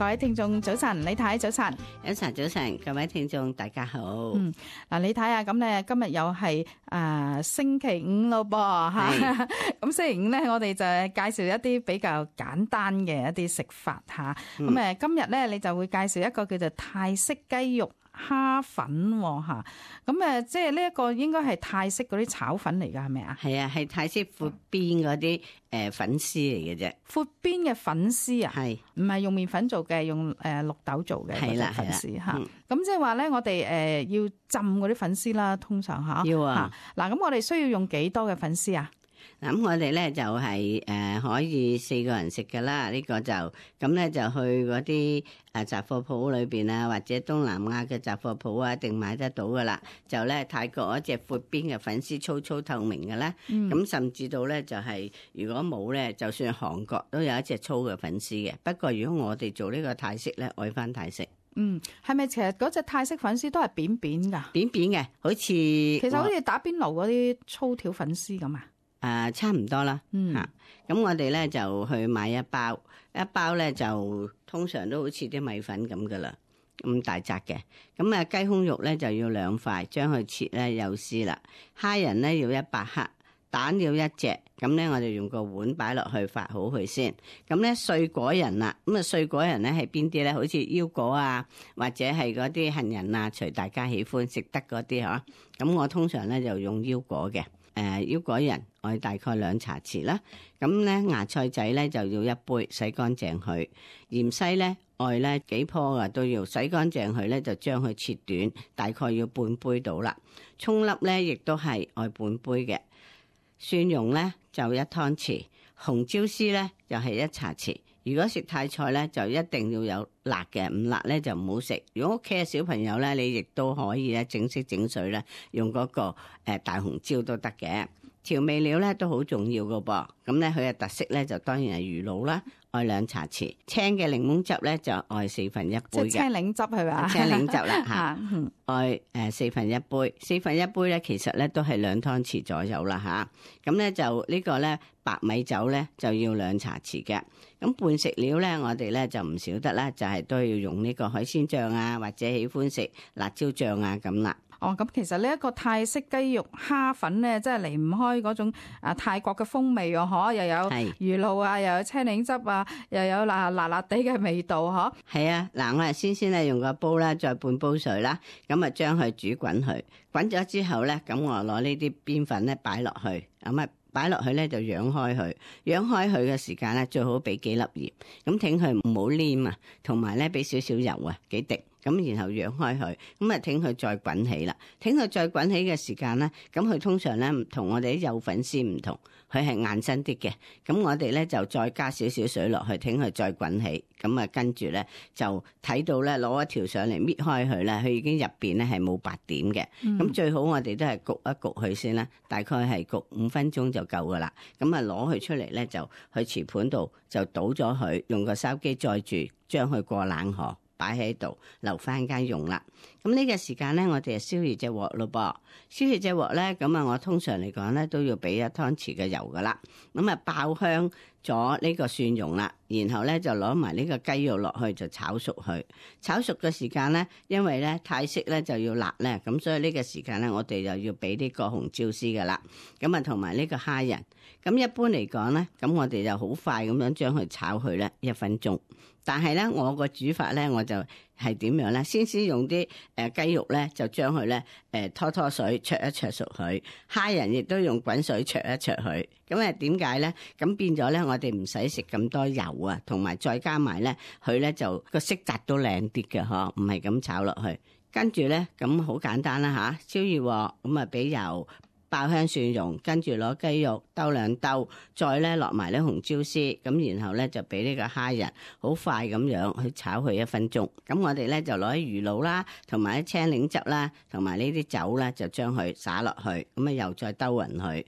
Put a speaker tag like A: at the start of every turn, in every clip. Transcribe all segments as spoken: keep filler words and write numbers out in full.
A: 位聽眾早晨，李太早晨，
B: 早晨早晨，各位聽眾大家好。
A: 嗯，嗱，李太啊，咁咧今日又係誒星期五咯噃吓，咁星期五咧，我哋就介紹一啲比較簡單嘅一啲食法吓，咁誒、嗯、今日咧你就會介紹一個叫做泰式雞肉蝦粉吓，咁誒即係呢一個應該係泰式嗰啲炒粉嚟噶，係咪啊？係
B: 啊，係泰式闊邊嗰啲誒粉絲嚟嘅啫。闊
A: 邊嘅粉絲啊？係唔係用麵粉做嘅？用誒綠豆做嘅嗰啲粉絲吓。咁即係話咧，我哋誒要浸嗰啲粉絲啦，通常吓。要啊。嗱，咁我哋需要用幾多嘅粉絲啊？
B: 嗱，咁我哋咧就係誒可以四個人食噶啦，呢個就咁咧就去嗰啲誒雜貨鋪裏邊啊，或者東南亞嘅雜貨鋪啊，一定買得到噶啦。就咧泰國嗰隻闊邊嘅粉絲粗粗透明嘅咧，咁、嗯、甚至到咧就係如果冇咧，就算韓國都有一隻粗嘅粉絲嘅。不過如果我哋做呢個泰式咧，愛翻泰式。
A: 嗯，係咪其實嗰隻泰式粉絲都係扁扁噶？
B: 扁扁嘅，好似其
A: 實好似打邊爐嗰啲粗條粉絲咁啊？
B: 誒、呃，差唔多啦，吓、嗯，咁我哋咧就去買一包，一包咧就通常都好似啲米粉咁噶啦，咁大紮嘅。咁啊雞胸肉咧就要兩塊，將佢切咧幼絲啦。蝦仁咧要一百克，蛋要一隻。咁咧我哋用個碗擺落去發好佢先。咁咧碎果仁啦，咁啊碎果仁咧係邊啲咧？好似腰果啊，或者係嗰啲杏仁啊，隨大家喜歡食得嗰啲嗬。咁我通常咧就用腰果嘅。誒、呃、腰果仁我大概兩茶匙啦，咁咧芽菜仔咧就要一杯，洗乾淨佢。芫茜咧愛咧幾棵啊都要洗乾淨佢咧，就將佢切短，大概要半杯到啦。蔥粒咧亦都係愛半杯嘅。蒜蓉咧就一湯匙，紅椒絲咧就係一茶匙。如果食泰菜咧，就一定要有辣嘅，唔辣咧就唔好食。如果屋企嘅小朋友咧，你亦都可以咧整色整水咧，用嗰個誒大紅椒都得嘅。調味料咧都好重要噶噃，咁咧佢嘅特色咧就當然係魚露啦，愛兩茶匙。青嘅檸檬汁咧就愛四分一杯嘅。
A: 即係青檸汁係咪？
B: 青檸汁啦吓，愛誒四分一杯，四分一杯咧其實咧都係兩湯匙左右啦吓。咁咧就呢個咧白米酒咧就要兩茶匙嘅。咁伴食料咧我哋咧就唔少得啦，就係、是、都要用呢個海鮮醬啊，或者喜歡食辣椒醬啊咁啦。
A: 哦，咁其實呢一個泰式雞肉蝦粉咧，真係離唔開嗰種啊泰國嘅風味哦，嗬，又有魚露啊，又有青檸汁啊，又有辣辣辣地嘅味道，嗬。係
B: 啊，嗱，我哋先先咧用個煲啦，再半煲水啦，咁啊將佢煮滾佢，滾咗之後咧，咁我攞呢啲邊粉咧擺落去，咁啊擺落去咧就揚開佢，揚開佢嘅時間咧最好俾幾粒鹽，咁挺佢唔好黏啊，同埋咧俾少少油啊，幾滴。咁然後揚開佢，咁啊挺佢再滾起啦。挺佢再滾起嘅時間咧，咁佢通常咧同我哋啲幼粉絲唔同，佢係硬身啲嘅。咁我哋咧就再加少少水落去，挺佢再滾起。咁啊跟住咧就睇到咧攞一條上嚟搣開佢咧，佢已經入邊咧係冇白點嘅。咁、嗯、最好我哋都係焗一焗佢先啦，大概係焗五分鐘就夠噶啦。咁啊攞佢出嚟咧就去瓷盤度就倒咗佢，用個筲箕載住，將佢過冷河。擺喺度留翻間用啦。咁呢個時間咧，我哋就燒熱隻鑊咯噃。燒熱隻鑊咧，咁啊，我通常嚟講咧都要俾一湯匙嘅油噶啦。咁啊，爆香咗呢個蒜蓉啦，然後咧就攞埋呢個雞肉落去就炒熟佢。炒熟嘅時間咧，因為咧泰式咧就要辣咧，咁所以呢個時間咧，我哋就要俾呢個紅椒絲噶啦。咁啊，同埋呢個蝦仁。咁一般嚟講咧，咁我哋就好快咁樣將佢炒去咧一分鐘。但係咧，我個煮法咧，我就係點樣咧？先先用啲誒雞肉咧，就將佢咧誒拖拖水焯一焯熟佢。蝦仁亦都用滾水焯一焯佢。咁啊點解咧？咁變咗咧，我哋唔使食咁多油啊，同埋再加埋咧，佢咧就個色澤都靚啲嘅嗬，唔係咁炒落去。跟住咧，咁好簡單啦吓，燒熱鑊，咁啊俾油。爆香蒜蓉，跟住攞雞肉兜兩兜，再咧落埋啲紅椒絲，咁然後咧就俾呢個蝦仁，好快咁樣去炒佢一分鐘。咁我哋咧就攞啲魚露啦，同埋啲青檸汁啦，同埋呢啲酒啦，就將佢灑落去，咁啊又再兜勻佢，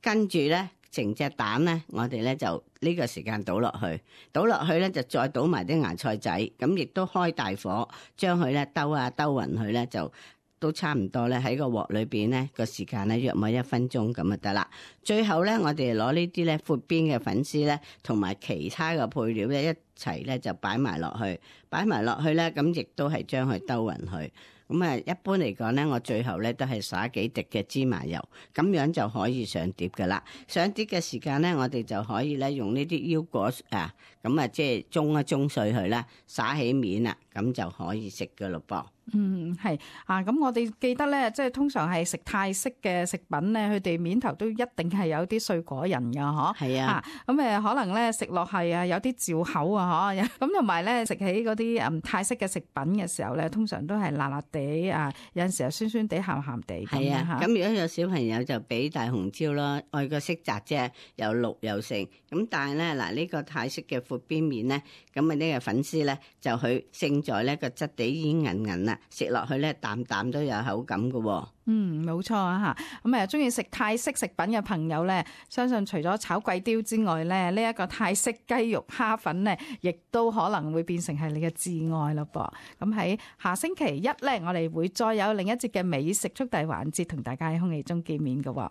B: 跟住咧成隻蛋咧，我哋咧就呢個時間倒落去，倒落去咧就再倒埋啲芽菜仔，咁亦都開大火，將佢咧兜啊兜勻佢咧就。都差唔多咧，喺個鑊裏邊咧個時間咧約莫一分鐘咁就得啦。最後咧，我哋攞呢啲咧闊邊嘅粉絲咧，同埋其他嘅配料咧一齊咧就擺埋落去，擺埋落去咧，咁亦都係將佢兜勻去。咁啊，一般嚟講咧，我最後咧都係灑幾滴嘅芝麻油，咁樣就可以上碟噶啦。上碟嘅時間咧，我哋就可以咧用呢啲腰果啊，咁啊即係中一中碎佢啦，灑起面啦，咁就可以食噶咯噃。
A: 嗯，係啊，咁我哋記得咧，即係通常係食泰式嘅食品咧，佢哋面頭都一定係有啲碎果仁㗎，嗬。
B: 係啊，
A: 咁誒可能咧食落係啊有啲嚼口啊，嗬。咁同埋咧食起嗰啲嗯泰式嘅食品嘅時候咧，通常都係辣辣地啊，有陣時候酸酸地、鹹鹹地咁
B: 係啊，
A: 嚇。
B: 咁如果有小朋友就俾大紅椒咯，愛個色澤啫，又綠又成。咁但係咧嗱，呢個泰式嘅闊邊麵咧，咁啊呢個粉絲咧就佢勝在咧個質地已經韌韌啦。食落去咧，啖啖都有口感㗎喎。
A: 嗯，冇錯啊嚇。咁誒，中意食泰式食品嘅朋友咧，相信除咗炒貴刁之外咧，呢、這、一個泰式雞肉蝦粉咧，亦都可能會變成係你嘅摯愛咯噃。咁喺下星期一咧，我哋會再有另一節嘅美食速遞環節，同大家喺空氣中見面㗎喎。